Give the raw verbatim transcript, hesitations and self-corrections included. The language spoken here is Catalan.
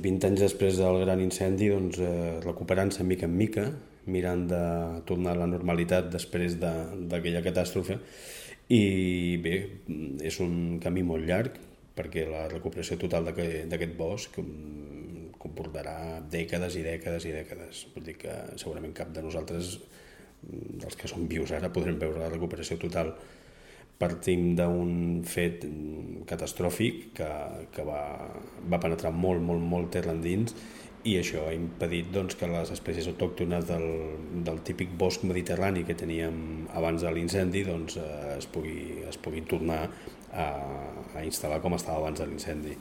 vint anys després del gran incendi, doncs, eh, recuperant-se mica en mica, mirant de tornar a la normalitat després d'aquella catàstrofe. I bé, és un camí molt llarg, perquè la recuperació total d'aquest bosc comportarà dècades i dècades i dècades. Vull dir que segurament cap de nosaltres, dels que som vius ara, podrem veure la recuperació total. Partim d'un fet catastròfic que, que va, va penetrar molt, molt, molt terra endins, i això ha impedit doncs, que les espècies autòctones del, del típic bosc mediterrani que teníem abans de l'incendi doncs, es, pugui, es pugui tornar a, a instal·lar com estava abans de l'incendi.